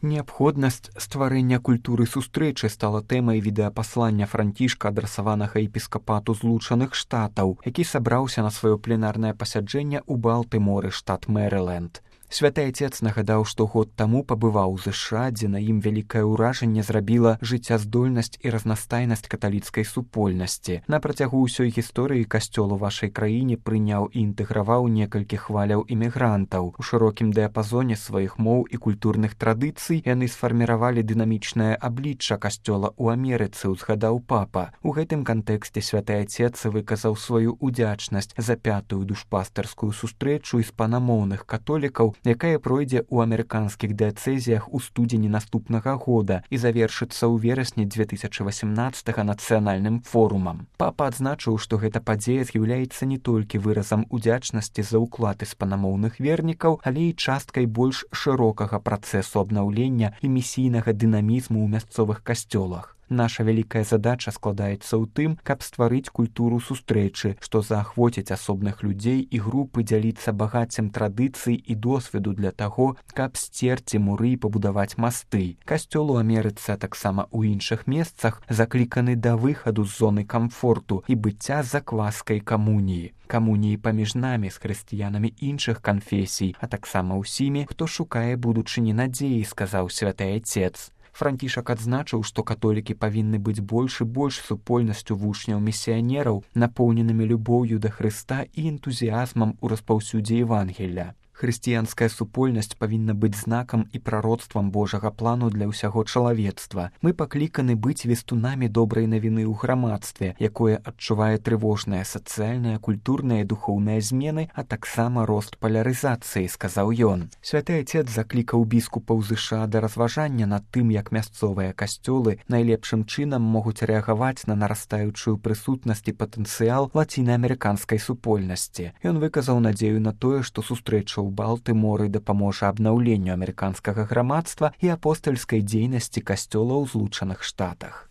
Неабходнасць стварэння культуры сустрэчы стала тэмай відэапаслання Францішка, адрасаванага епіскапату Злучаных Штатаў, які сабраўся на сваё пленарнае пасяджэнне ў Балтыморы, штат Мэрыленд. Святы Айцец нагадаў, што год таму пабываў у ЗША, дзе на ім вялікае ўражанне зрабіла жыццяздольнасць і разнастайнасць каталіцкай супольнасці. На працягу ўсёй гісторыі касцёл у вашай краіне прыняў і інтэграваў некалькі хваляў імігрантаў. У шырокім дыяпазоне сваіх моў і культурных традыцый яны сфарміравалі дынамічнае аблічча касцёла ў Амерыцы, узгадаў папа. У гэтым кантэксце святы Айцец выказаў сваю удзячнасць за 5-ю душпастарскую сустрэчу іспанамоўных католікаў, якая пройдзе ў амерыканскіх дыяцэзіях у студзені наступнага года і завершыцца ў верасні 2018 нацыянальным форумам. Папа адзначыў, што гэта падзея з'яўляецца не толькі выразам удзячнасці за ўклад іспанамоўных вернікаў, але і часткай больш шырокага працэсу абнаўлення і місійнага дынамізму ў мясцовых касцёлах. Наша вялікая задача складаецца ў тым, каб стварыць культуру сустрэчы, што заахвоціць асобных людзей і групы дзяліцца багаццем традыцый і досведу для таго, каб сцерці муры і пабудаваць масты. Касцёл у Амерыцы, а таксама ў іншых месцах закліканы да выхаду з зоны камфорту і быцця закваскай камуніі. Камуніі паміж намі з хрысціянамі іншых канфесій, а таксама ўсімі, хто шукае будучыні надзеі, сказаў святы Айцец. Францішак адзначыў, што католікі павінны быць больш і больш супольнасцю вучняў-місіянераў, напоўненымі любоўю да Хрыста і энтузіязмам у распаўсюдзе Евангелля. Хрысціянская супольнасць павінна быць знакам і прароцтвам Божага плану для ўсяго чалавецтва. Мы пакліканы быць вестунамі добрай навіны ў грамадстве, якое адчувае трывожныя сацыяльныя, культурныя і духоўныя змены, а таксама рост палярызацыі, сказаў ён. Святы Айцец заклікаў біскупаў ЗША да разважання над тым, як мясцовыя касцёлы найлепшым чынам могуць рэагаваць на нарастаючую прысутнасць і патэнцыял лацінаамерыканскай супольнасці. Ён выказаў надзею на тое, што сустрэча ў Балтыморы дапаможа абнаўленню амерыканскага грамадства і апостальскай дзейнасці касцёла ў Злучаных Штатах.